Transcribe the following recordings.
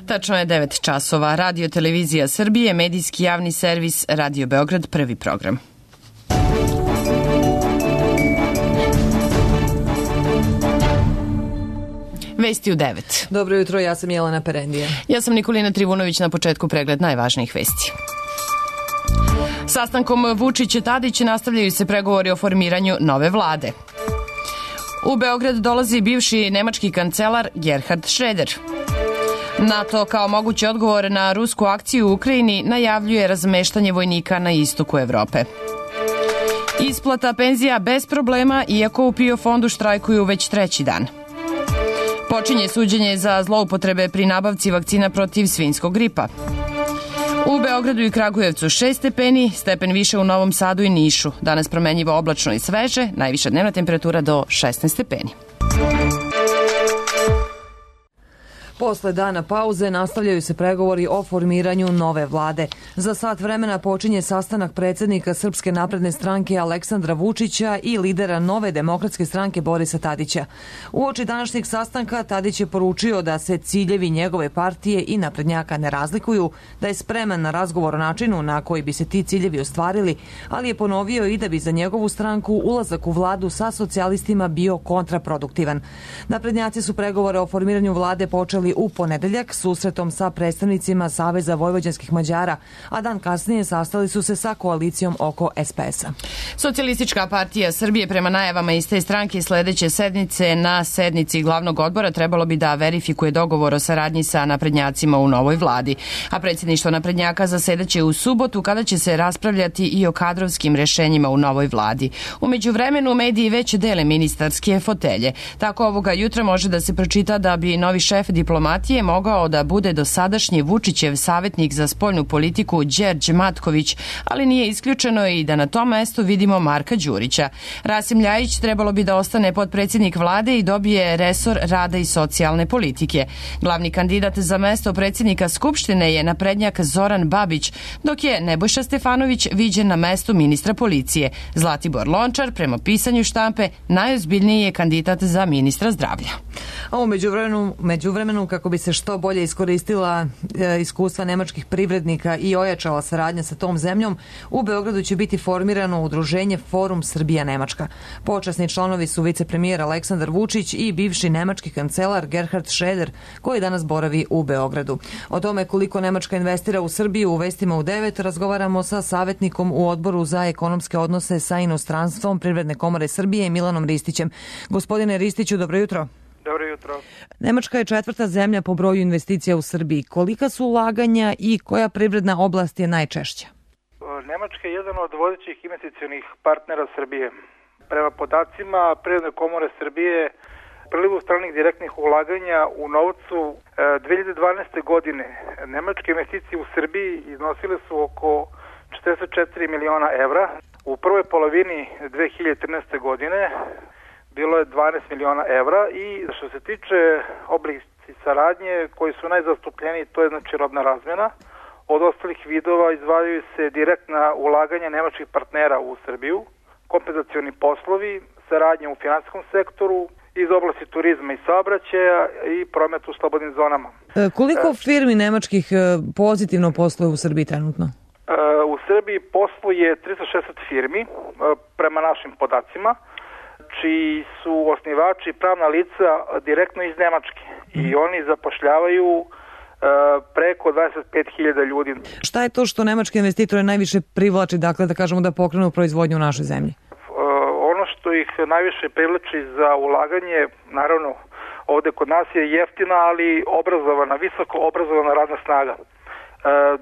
Tačno je 9 časova. Radio Televizija Srbije, medijski javni servis Radio Beograd, prvi program. Vesti u 9. Dobro jutro, ja sam Jelena Perendija. Ja sam Nikolina Trivunović, na početku pregled najvažnijih vesti. Sastankom Vučić-Tadić nastavljaju se pregovori o formiranju nove vlade. U Beograd dolazi bivši nemački kancelar Gerhard Schröder. NATO kao mogući odgovor na rusku akciju u Ukrajini najavljuje razmeštanje vojnika na istoku Evrope. Isplata penzija bez problema, iako u PIO fondu štrajkuju već treći dan. Počinje suđenje za zloupotrebe pri nabavci vakcina protiv svinjskog gripa. U Beogradu i Kragujevcu 6 stepeni, stepen više u Novom Sadu i Nišu. Danas promenjivo oblačno i sveže, najviša dnevna temperatura do 16 stepeni. Posle dana pauze nastavljaju se pregovori o formiranju nove vlade. Za sat vremena počinje sastanak predsjednika Srpske napredne stranke Aleksandra Vučića i lidera Nove demokratske stranke Borisa Tadića. Uoči današnjeg sastanka Tadić je poručio da se ciljevi njegove partije i naprednjaka ne razlikuju, da je spreman na razgovor o načinu na koji bi se ti ciljevi ostvarili, ali je ponovio i da bi za njegovu stranku ulazak u vladu sa socijalistima bio kontraproduktivan. Naprednjaci su pregovore o formiranju vlade počeli u ponedeljak susretom sa predstavnicima Saveza vojvođanskih Mađara, a dan kasnije sastali su se sa koalicijom oko SPS-a. Socijalistička partija Srbije prema najavama iz te stranke sledeće sednice na sednici glavnog odbora trebalo bi da verifikuje dogovor o saradnji sa naprednjacima u novoj vladi, a predsjedništvo naprednjaka zasedaće u subotu kada će se raspravljati i o kadrovskim rešenjima u novoj vladi. U međuvremenu mediji već dele ministarske fotelje. Tako ovoga jutra može da se pročita da bi novi šef diplomatije mogao da bude dosadašnji Vučićev savjetnik za spoljnu politiku Đerđ Matković, ali nije isključeno i da na tom mestu vidimo Marka Đurića. Rasim Ljajić trebalo bi da ostane potpredsjednik vlade i dobije resor rada i socijalne politike. Glavni kandidat za mesto predsjednika Skupštine je naprednjak Zoran Babić, dok je Nebojša Stefanović viđen na mestu ministra policije. Zlatibor Lončar, prema pisanju štampe, najozbiljniji je kandidat za ministra zdravlja. A u međuvremenu, kako bi se što bolje iskoristila iskustva nemačkih privrednika i ojačala saradnja sa tom zemljom, u Beogradu će biti formirano udruženje Forum Srbija-Nemačka. Počasni članovi su vicepremijer Aleksandar Vučić i bivši nemački kancelar Gerhard Schröder, koji danas boravi u Beogradu. O tome koliko Nemačka investira u Srbiju u vestima u 9 razgovaramo sa savjetnikom u Odboru za ekonomske odnose sa inostranstvom Privredne komore Srbije Milanom Ristićem. Gospodine Ristiću, dobro jutro. Dobro jutro. Nemačka je četvrta zemlja po broju investicija u Srbiji. Kolika su ulaganja i koja privredna oblast je najčešća? Nemačka je jedan od vodećih investicionih partnera Srbije. Prema podacima Privredne komore Srbije, prilivu stranih direktnih ulaganja u novcu 2012. godine nemačke investicije u Srbiji iznosile su oko 44 miliona evra. U prvoj polovini 2013. godine bilo je 12 miliona evra i što se tiče oblici saradnje koji su najzastupljeniji, to je znači robna razmjena. Od ostalih vidova izdvajaju se direktna ulaganja nemačkih partnera u Srbiju, kompenzacioni poslovi, saradnja u finansijskom sektoru, iz oblasti turizma i saobraćaja i prometu u slobodnim zonama. Koliko firmi nemačkih pozitivno posluje u Srbiji trenutno? U Srbiji posluje 360 firmi prema našim podacima, čiji su osnivači pravna lica direktno iz Nemačke i oni zapošljavaju preko 25.000 ljudi. Šta je to što nemačke investitore najviše privlači, dakle da kažemo da pokrenu proizvodnju u našoj zemlji? Ono što ih najviše privlači za ulaganje, naravno ovde kod nas je jeftina, ali obrazovana, visoko obrazovana radna snaga.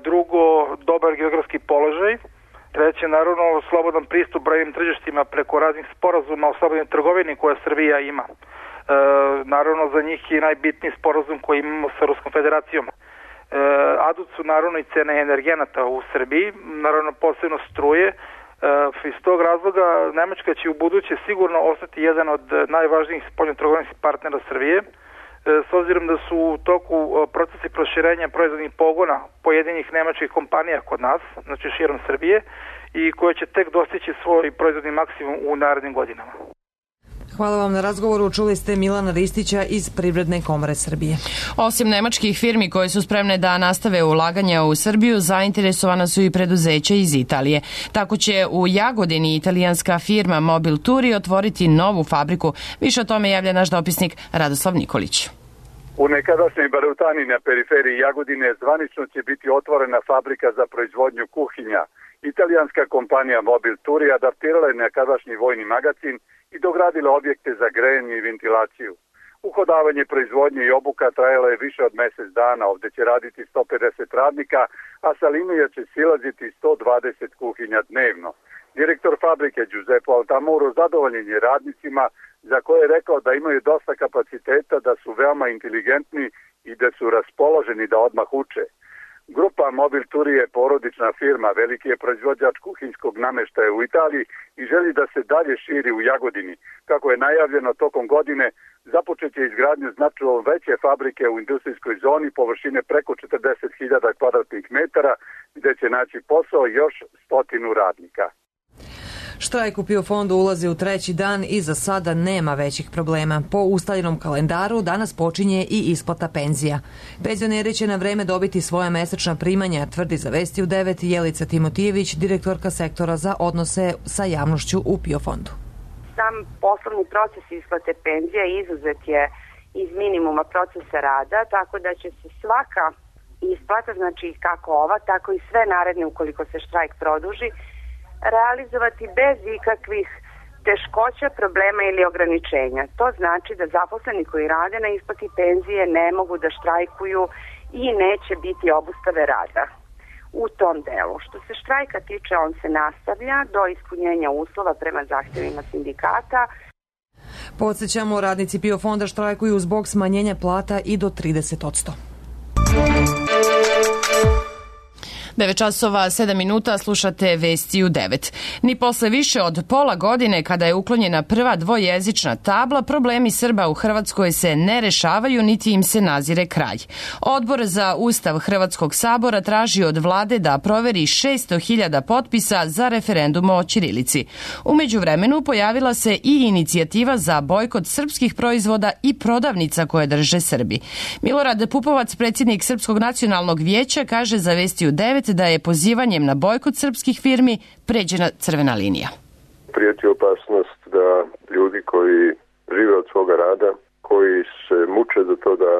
Drugo, dobar geografski položaj. Treće, naravno, slobodan pristup brojnim tržištima preko raznih sporazuma o slobodnoj trgovini koje Srbija ima. Naravno, za njih je najbitniji sporazum koji imamo sa Ruskom federacijom. Adut su naravno i cene energenata u Srbiji, naravno posebno struje. Iz tog razloga Nemačka će u buduće sigurno ostati jedan od najvažnijih spoljnotrgovinskih partnera Srbije, s obzirom da su u toku procesi proširenja proizvodnih pogona pojedinih nemačkih kompanija kod nas, znači širom Srbije, i koje će tek dostići svoj proizvodni maksimum u narednim godinama. Hvala vam na razgovoru. Čuli ste Milana Ristića iz Privredne komore Srbije. Osim nemačkih firmi koje su spremne da nastave ulaganja u Srbiju, zainteresovana su i preduzeća iz Italije. Tako će u Jagodini italijanska firma Mobil Turi otvoriti novu fabriku. Više o tome javlja naš dopisnik Radoslav Nikolić. U nekadašnjoj Barutani na periferiji Jagodine zvanično će biti otvorena fabrika za proizvodnju kuhinja. Italijanska kompanija Mobil Turi adaptirala je nekadašnji vojni magacin i dogradila objekte za grejanje i ventilaciju. Uhodavanje proizvodnje i obuka trajalo je više od mjesec dana. Ovdje će raditi 150 radnika, a sa linije će silaziti 120 kuhinja dnevno. Direktor fabrike Giuseppe Altamuro zadovoljen je radnicima, za koje je rekao da imaju dosta kapaciteta, da su veoma inteligentni i da su raspoloženi da odmah uče. Grupa Mobil Turi je porodična firma, veliki je proizvođač kuhinjskog namještaja u Italiji i želi da se dalje širi u Jagodini. Kako je najavljeno tokom godine, započet će izgradnju značajno veće fabrike u industrijskoj zoni površine preko 40.000 kvadratnih metara, gdje će naći posao još 100 radnika. Štrajk u PIO fondu ulazi u treći dan i za sada nema većih problema. Po ustaljenom kalendaru danas počinje i isplata penzija. Penzioneri će na vreme dobiti svoja mesečna primanja, tvrdi za Vesti u 9 Jelica Timotijević, direktorka sektora za odnose sa javnošću u PIO fondu. Sam poslovni proces isplate penzija izuzet je iz minimuma procesa rada, tako da će se svaka isplata, znači kako ova, tako i sve naredne ukoliko se štrajk produži, realizovati bez ikakvih teškoća, problema ili ograničenja. To znači da zaposleni koji rade na isplati penzije ne mogu da štrajkuju i neće biti obustave rada u tom delu. Što se štrajka tiče, on se nastavlja do ispunjenja uslova prema zahtjevima sindikata. Podsjećamo, radnici PIO fonda štrajkuju zbog smanjenja plata i do 30%. 9 časova 7 minuta, slušate Vesti u 9. Ni posle više od pola godine kada je uklonjena prva dvojezična tabla, problemi Srba u Hrvatskoj se ne rešavaju niti im se nazire kraj. Odbor za Ustav Hrvatskog sabora traži od vlade da proveri 600.000 potpisa za referendum o ćirilici. U međuvremenu pojavila se i inicijativa za bojkot srpskih proizvoda i prodavnica koje drže Srbi. Milorad Pupovac, predsjednik Srpskog nacionalnog vijeća, kaže za Vesti u 9 da je pozivanjem na bojkot srpskih firmi pređena crvena linija. Prijeti opasnost da ljudi koji žive od svoga rada, koji se muče za to da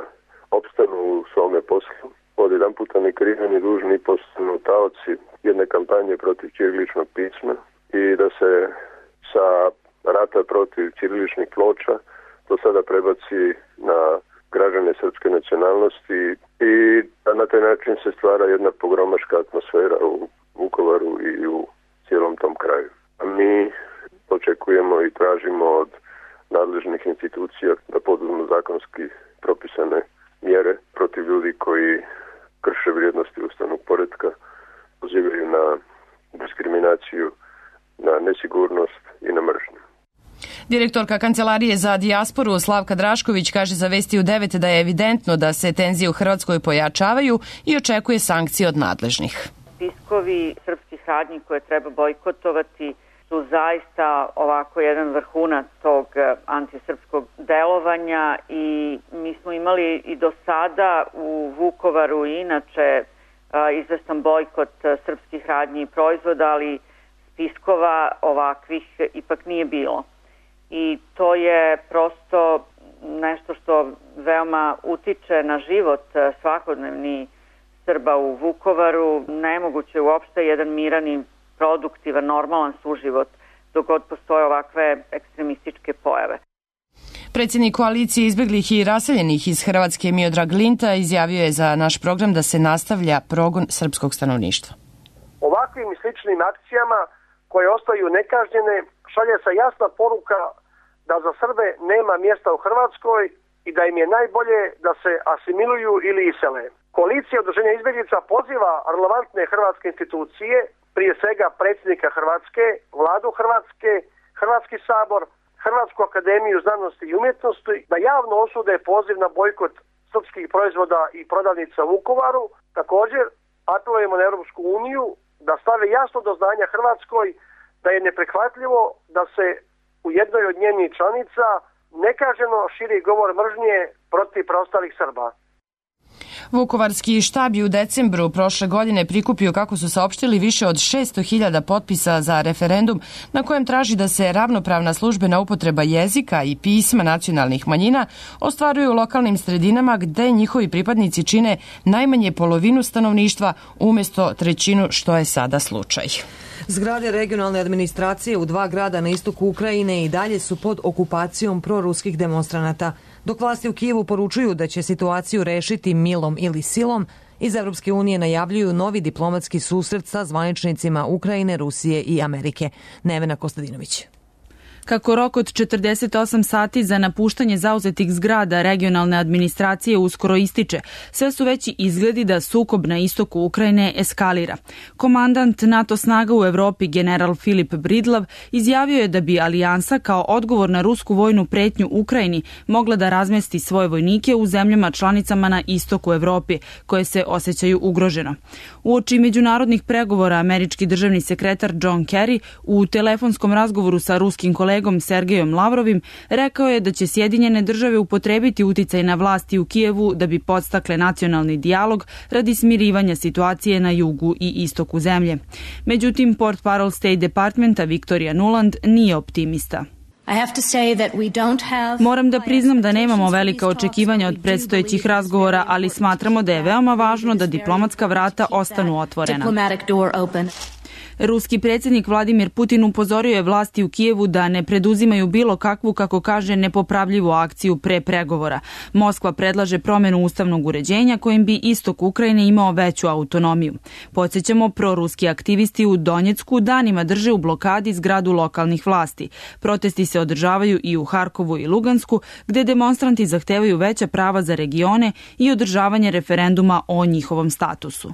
opstanu u svome poslu, odjedan puta ne krivi ni dužni postanu taoci jedne kampanje protiv ćiriličnog pisma i da se sa rata protiv ćiriličnih ploča to sada prebaci na građane srpske nacionalnosti i na taj način se stvara jedna pogromaška atmosfera u Vukovaru i u cijelom tom kraju. A mi očekujemo i tražimo od nadležnih institucija da poduzmu zakonski propisane mjere protiv ljudi koji krše vrijednosti ustavnog poretka, pozivaju na diskriminaciju, na nesigurnost i na mržnju. Direktorka Kancelarije za dijasporu Slavka Drašković kaže za Vesti u 9 da je evidentno da se tenzije u Hrvatskoj pojačavaju i očekuje sankcije od nadležnih. Spiskovi srpskih radnji koje treba bojkotovati su zaista ovako jedan vrhunac tog antisrpskog delovanja i mi smo imali i do sada u Vukovaru i inače izvestan bojkot srpskih radnji i proizvoda, ali spiskova ovakvih ipak nije bilo. I to je prosto nešto što veoma utiče na život svakodnevni Srba u Vukovaru. Nemoguće uopšte jedan miran i produktivan, normalan suživot dok god postoje ovakve ekstremističke pojave. Predsjednik koalicije izbjeglih i raseljenih iz Hrvatske Miodrag Linta izjavio je za naš program da se nastavlja progon srpskog stanovništva. Ovakvim i sličnim akcijama koje ostaju nekažnjene šalje se jasna poruka da za Srbe nema mjesta u Hrvatskoj i da im je najbolje da se asimiluju ili isele. Koalicija udruženja izbjeglica poziva relevantne hrvatske institucije, prije svega predsjednika Hrvatske, vladu Hrvatske, Hrvatski sabor, Hrvatsku akademiju znanosti i umjetnosti da javno osude poziv na bojkot srpskih proizvoda i prodavnica u Vukovaru. Također apelujemo na Europsku uniju da stave jasno do znanja Hrvatskoj da je neprihvatljivo da se u jednoj od njenih članica nekaženo širi govor mržnje protiv preostalih Srba. Vukovarski štab je u decembru prošle godine prikupio, kako su saopštili, više od 600.000 potpisa za referendum na kojem traži da se ravnopravna službena upotreba jezika i pisma nacionalnih manjina ostvaruje u lokalnim sredinama gde njihovi pripadnici čine najmanje polovinu stanovništva umjesto trećinu, što je sada slučaj. Zgrade regionalne administracije u 2 grada na istoku Ukrajine i dalje su pod okupacijom proruskih demonstranata. Dok vlasti u Kijevu poručuju da će situaciju rešiti milom ili silom, iz Evropske unije najavljuju novi diplomatski susret sa zvaničnicima Ukrajine, Rusije i Amerike. Nevena Kostadinović. Kako rok od 48 sati za napuštanje zauzetih zgrada regionalne administracije uskoro ističe, sve su veći izgledi da sukob na istoku Ukrajine eskalira. Komandant NATO snaga u Evropi general Filip Bridlav izjavio je da bi alijansa kao odgovor na rusku vojnu pretnju Ukrajini mogla da razmesti svoje vojnike u zemljama članicama na istoku Evropi, koje se osjećaju ugroženo. Uoči međunarodnih pregovora američki državni sekretar John Kerry u telefonskom razgovoru sa ruskim kolegom Sergejom Lavrovim rekao je da će Sjedinjene države upotrebiti uticaj na vlasti u Kijevu da bi podstakle nacionalni dijalog radi smirivanja situacije na jugu i istoku zemlje. Međutim, portparol State Departmenta Victoria Nuland nije optimista. Moram da priznam da nemamo velika očekivanja od predstojećih razgovora, ali smatramo da je veoma važno da diplomatska vrata ostanu otvorena. Ruski predsjednik Vladimir Putin upozorio je vlasti u Kijevu da ne preduzimaju bilo kakvu, kako kaže, nepopravljivu akciju pre pregovora. Moskva predlaže promjenu ustavnog uređenja kojim bi istok Ukrajine imao veću autonomiju. Podsjećamo, proruski aktivisti u Donjecku danima drže u blokadi zgradu lokalnih vlasti. Protesti se održavaju i u Harkovu i Lugansku, gde demonstranti zahtevaju veća prava za regione i održavanje referenduma o njihovom statusu.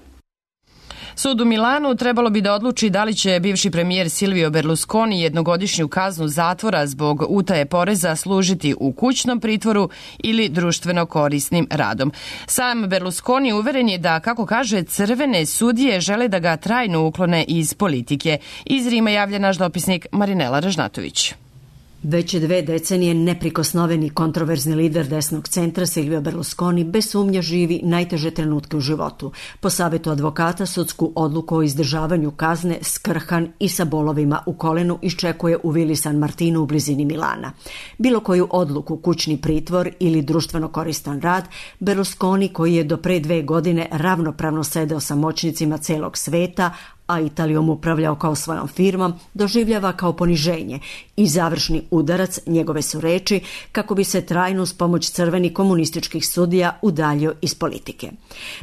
Sud u Milanu trebalo bi da odluči da li će bivši premijer Silvio Berlusconi jednogodišnju kaznu zatvora zbog utaje poreza služiti u kućnom pritvoru ili društveno korisnim radom. Sam Berlusconi uveren je da, kako kaže, crvene sudije žele da ga trajno uklone iz politike. Iz Rima javlja naš dopisnik Marinela Ražnatović. Već 2 decenije neprikosnoveni kontroverzni lider desnog centra Silvio Berlusconi bez sumnje živi najteže trenutke u životu. Po savjetu advokata sudsku odluku o izdržavanju kazne skrhan i sa bolovima u kolenu iščekuje u Vili San Martinu u blizini Milana. Bilo koju odluku, kućni pritvor ili društveno koristan rad, Berlusconi, koji je do pre 2 godine ravnopravno sedeo sa moćnicima celog sveta, a Italijom upravljao kao svojom firmom, doživljava kao poniženje i završni udarac, njegove su reči, kako bi se trajno uz pomoć crvenih komunističkih sudija udaljio iz politike.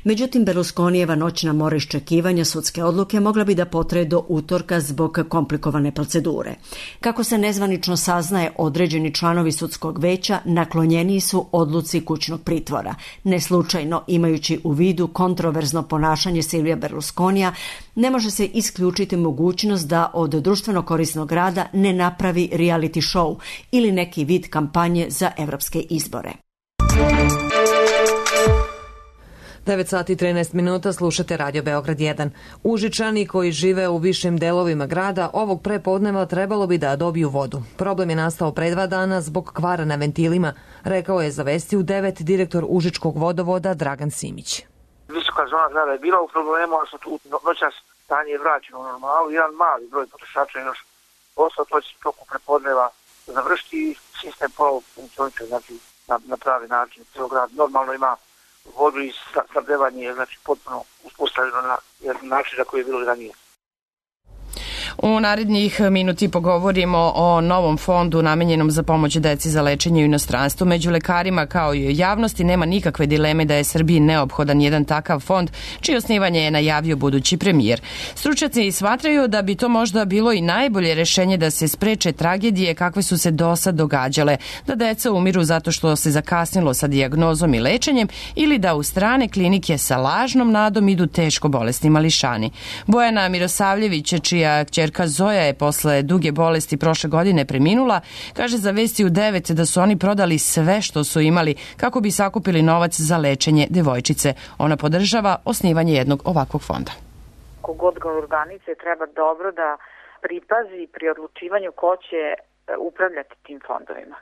Međutim, Berlusconijeva noćna mora iščekivanja sudske odluke mogla bi da potraje do utorka zbog komplikovane procedure. Kako se nezvanično saznaje, određeni članovi sudskog veća naklonjeniji su odluci kućnog pritvora. Neslučajno, imajući u vidu kontroverzno ponašanje Silvija Berlusconija, ne može se isključiti mogućnost da od društveno korisnog rada ne napravi reality show ili neki vid kampanje za evropske izbore. 9 sati i 13 minuta, slušate Radio Beograd 1. Užičani koji žive u višim delovima grada ovog prepodneva trebalo bi da dobiju vodu. Problem je nastao pre 2 dana zbog kvara na ventilima, rekao je za Vesti u 9 direktor Užičkog vodovoda Dragan Simić. Visoka zona grada je bila u problemu, ali su tu noćas stanje je vraćeno u normalu. Jedan mali broj potrošača još ostao, to će toku prepodneva završiti i sistem ponovo funkcioniše, znači na pravi način. Cijel grad normalno ima vodu i snabdevanje je znači potpuno uspostavljeno na način na koji je bilo ranije. U narednih minuti pogovorimo o novom fondu namenjenom za pomoć deci za lečenje u inostranstvu. Među lekarima kao i u javnosti nema nikakve dileme da je Srbiji neophodan jedan takav fond, čije osnivanje je najavio budući premijer. Stručnjaci smatraju da bi to možda bilo i najbolje rešenje da se spreče tragedije kakve su se do sad događale, da deca umiru zato što se zakasnilo sa dijagnozom i lečenjem ili da u strane klinike sa lažnom nadom idu teško bolesni mališani. Bojana Mirosavljević, čija kćerka Zoja je posle duge bolesti prošle godine preminula, kaže za Vesti u 9 da su oni prodali sve što su imali kako bi sakupili novac za lečenje devojčice. Ona podržava osnivanje jednog ovakvog fonda. Kogod ga organizuje treba dobro da pripazi pri odlučivanju ko će upravljati tim fondovima.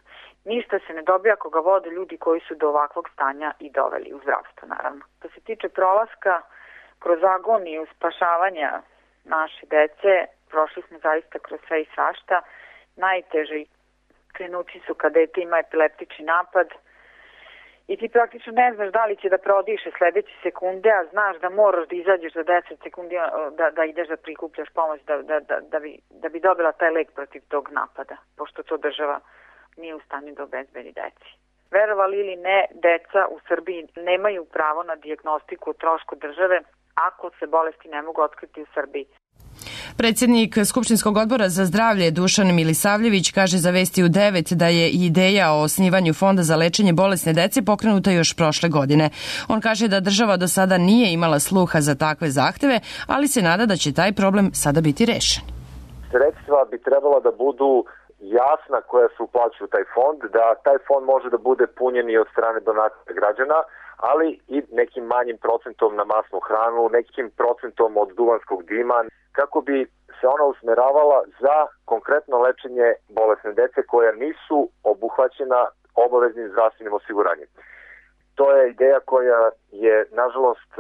Ništa se ne dobija ako ga vode ljudi koji su do ovakvog stanja i doveli u zdravstvo, naravno. Što se tiče prolaska kroz agoniju spašavanja naše dece, prošli smo zaista kroz sve i svašta. Najteži trenuci su kad dete ima epileptični napad i ti praktično ne znaš da li će da prodiše sledeće sekunde, a znaš da moraš da izađeš za 10 sekundi, da ideš da prikupljaš pomoć da bi dobila taj lek protiv tog napada, pošto to država nije u stanju da obezbedi deci. Verovali ili ne, deca u Srbiji nemaju pravo na dijagnostiku o trošku države ako se bolesti ne mogu otkriti u Srbiji. Predsjednik Skupštinskog odbora za zdravlje Dušan Milisavljević kaže za Vesti u 9 da je ideja o osnivanju fonda za lečenje bolesne dece pokrenuta još prošle godine. On kaže da država do sada nije imala sluha za takve zahteve, ali se nada da će taj problem sada biti rešen. Sredstva bi trebala da budu jasna koja se uplaćuju u taj fond, da taj fond može da bude punjen i od strane donacija građana, ali i nekim manjim procentom na masnu hranu, nekim procentom od duvanskog dima, kako bi se ona usmeravala za konkretno lečenje bolesne dece koja nisu obuhvaćena obaveznim zdravstvenim osiguranjem. To je ideja koja je, nažalost,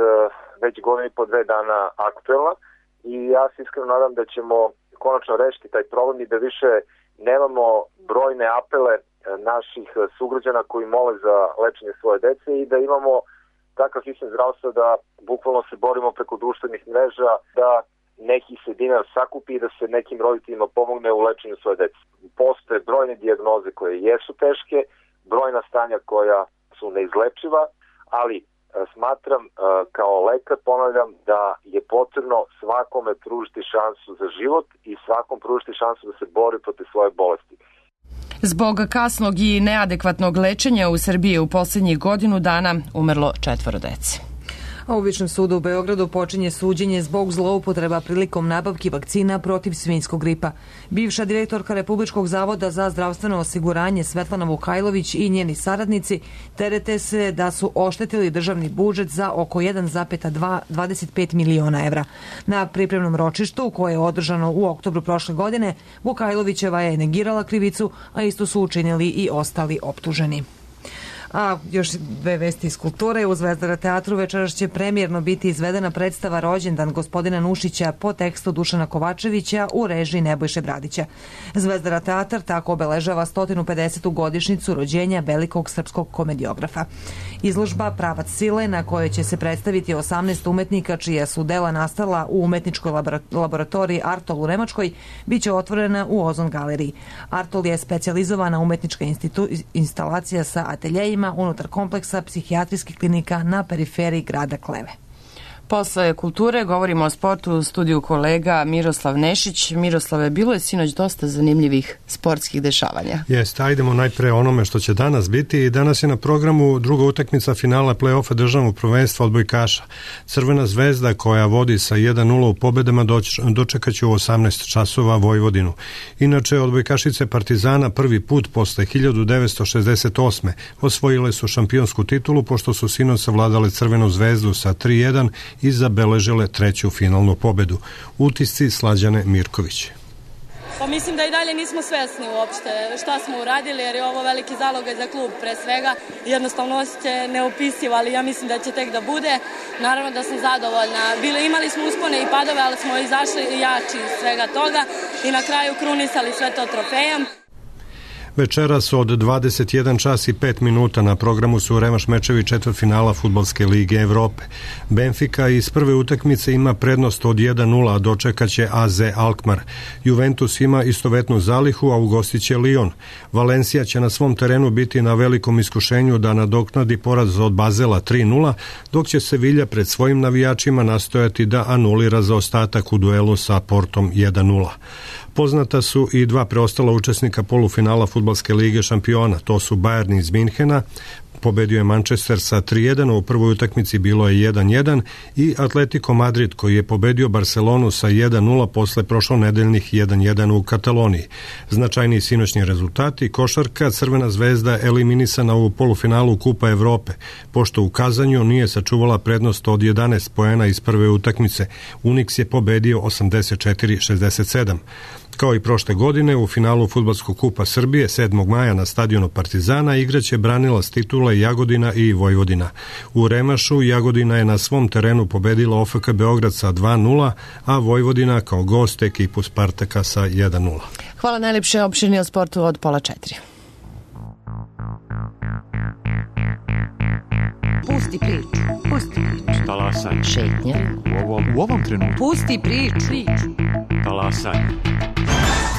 već godinu i po 2 dana aktuelna i ja se iskreno nadam da ćemo konačno rešiti taj problem i da više nemamo brojne apele naših sugrađana koji mole za lečenje svoje dece i da imamo takav sistem zdravstva da bukvalno se borimo preko društvenih mreža, da neki se dinar sakupi i da se nekim roditeljima pomogne u lečenju svoje dece. Postoje brojne dijagnoze koje jesu teške, brojna stanja koja su neizlečiva, ali smatram kao lekar, ponavljam, da je potrebno svakome pružiti šansu za život i svakom pružiti šansu da se bori protiv svoje bolesti. Zbog kasnog i neadekvatnog lečenja u Srbiji je u posljednjih godinu dana umrlo 4 dece. A u Višem sudu u Beogradu počinje suđenje zbog zloupotreba prilikom nabavki vakcina protiv svinjskog gripa. Bivša direktorka Republičkog zavoda za zdravstveno osiguranje Svetlana Vukajlović i njeni saradnici terete se da su oštetili državni budžet za oko 1,25 miliona evra. Na pripremnom ročištu, koje je održano u oktobru prošle godine, Vukajlovićeva je negirala krivicu, a isto su učinili i ostali optuženi. A još 2 vesti iz kulture. U Zvezdara teatru večeras će premijerno biti izvedena predstava Rođendan gospodina Nušića po tekstu Dušana Kovačevića u režiji Nebojše Bradića. Zvezdara teatar tako obeležava 150. godišnjicu rođenja velikog srpskog komediografa. Izložba Pravac sile, na kojoj će se predstaviti 18 umetnika čija su dela nastala u umetničkoj laboratoriji Artol u Nemačkoj, biće otvorena u Ozon galeriji. Artol je specijalizovana umetnička instalacija sa ateljejima unutar kompleksa psihijatrijskih klinika na periferiji grada Kleve. Posle kulture govorimo o sportu u studiju kolega Miroslav Nešić. Miroslave, bilo je sinoć dosta zanimljivih sportskih dešavanja. Jeste, ajdemo najpre onome što će danas biti. I danas je na programu druga utakmica finala play-offa državnog prvenstva odbojkaša. Crvena zvezda koja vodi sa 1-0 u pobedama dočekaće u 18 časova Vojvodinu. Inače, odbojkašice Partizana prvi put posle 1968. osvojile su šampionsku titulu pošto su sinoć savladale Crvenu zvezdu sa 3-1 i zabeležile 3. finalnu pobedu. Utisci Slađane Mirković. Pa mislim da i dalje nismo svesni uopšte šta smo uradili, jer je ovo veliki zalogaj za klub pre svega. Jednostavno osjećaj neopisiv, ali ja mislim da će tek da bude. Naravno da sam zadovoljna. Imali smo uspone i padove, ali smo izašli jači iz svega toga i na kraju krunisali sve to trofejom. Večeras od 21 čas i 5 minuta na programu su revanš mečevi četvrtfinala Fudbalske lige Evrope. Benfica iz prve utakmice ima prednost od 1-0, a dočekaće AZ Alkmaar. Juventus ima istovetnu zalihu, a ugostiće Lyon. Valencija će na svom terenu biti na velikom iskušenju da nadoknadi poraz od Bazela 3-0, dok će Sevilla pred svojim navijačima nastojati da anulira zaostatak u duelu sa Portom 1-0. Poznata su i 2 preostala učesnika polufinala Fudbalske lige šampiona. To su Bayern iz Minhena, pobedio je Manchester sa 3-1, u prvoj utakmici bilo je 1-1, i Atletico Madrid koji je pobedio Barcelonu sa 1-0 posle prošlonedeljnih 1-1 u Kataloniji. Značajniji sinoćni rezultati: košarka, Crvena zvezda eliminisana u polufinalu Kupa Evrope, pošto u Kazanju nije sačuvala prednost od 11 poena iz prve utakmice. Unix je pobedio 84-67. Kao i prošle godine, u finalu Fudbalskog kupa Srbije 7. maja na stadionu Partizana igraće branilac titule Jagodina i Vojvodina. U remašu Jagodina je na svom terenu pobedila OFK Beograd sa 2:0, a Vojvodina kao gost ekipu Spartaka sa 1:0. Hvala najlepše, opširni o sportu od 3:30. Pusti priču. Pusti priču. Talasaj. Šetnja. U ovom trenutku. Pusti priču. Talasaj.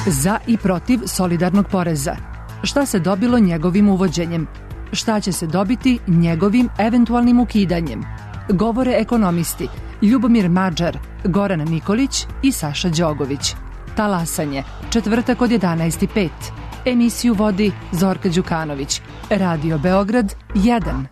Za i protiv solidarnog poreza. Šta se dobilo njegovim uvođenjem? Šta će se dobiti njegovim eventualnim ukidanjem? Govore ekonomisti Ljubomir Mađar, Goran Nikolić i Saša Đogović. Talasanje, četvrtak od 11:05. Emisiju vodi Zorka Đukanović. Radio Beograd 1.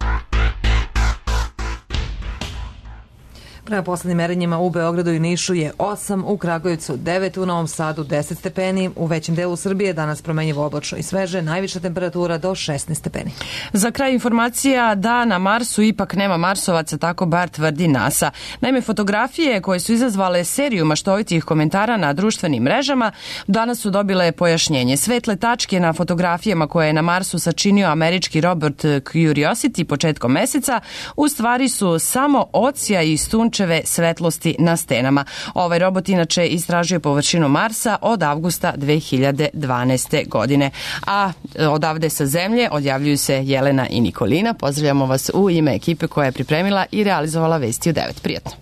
Prema poslednjim merenjima u Beogradu i Nišu je 8, u Kragujevcu 9, u Novom Sadu 10 stepeni, u većem delu Srbije danas promenjivo oblačno i sveže, najviša temperatura do 16 stepeni. Za kraj informacija da na Marsu ipak nema Marsovaca, tako bar tvrdi NASA. Naime, fotografije koje su izazvale seriju maštovitih komentara na društvenim mrežama danas su dobile pojašnjenje. Svetle tačke na fotografijama koje je na Marsu sačinio američki robot Curiosity početkom meseca u stvari su samo odsja i sunčeve svetlosti na stenama. Ovaj robot inače istražuje površinu Marsa od avgusta 2012. godine. A odavde sa Zemlje odjavljuju se Jelena i Nikolina. Pozdravljamo vas u ime ekipe koja je pripremila i realizovala vesti u 9. Prijatno.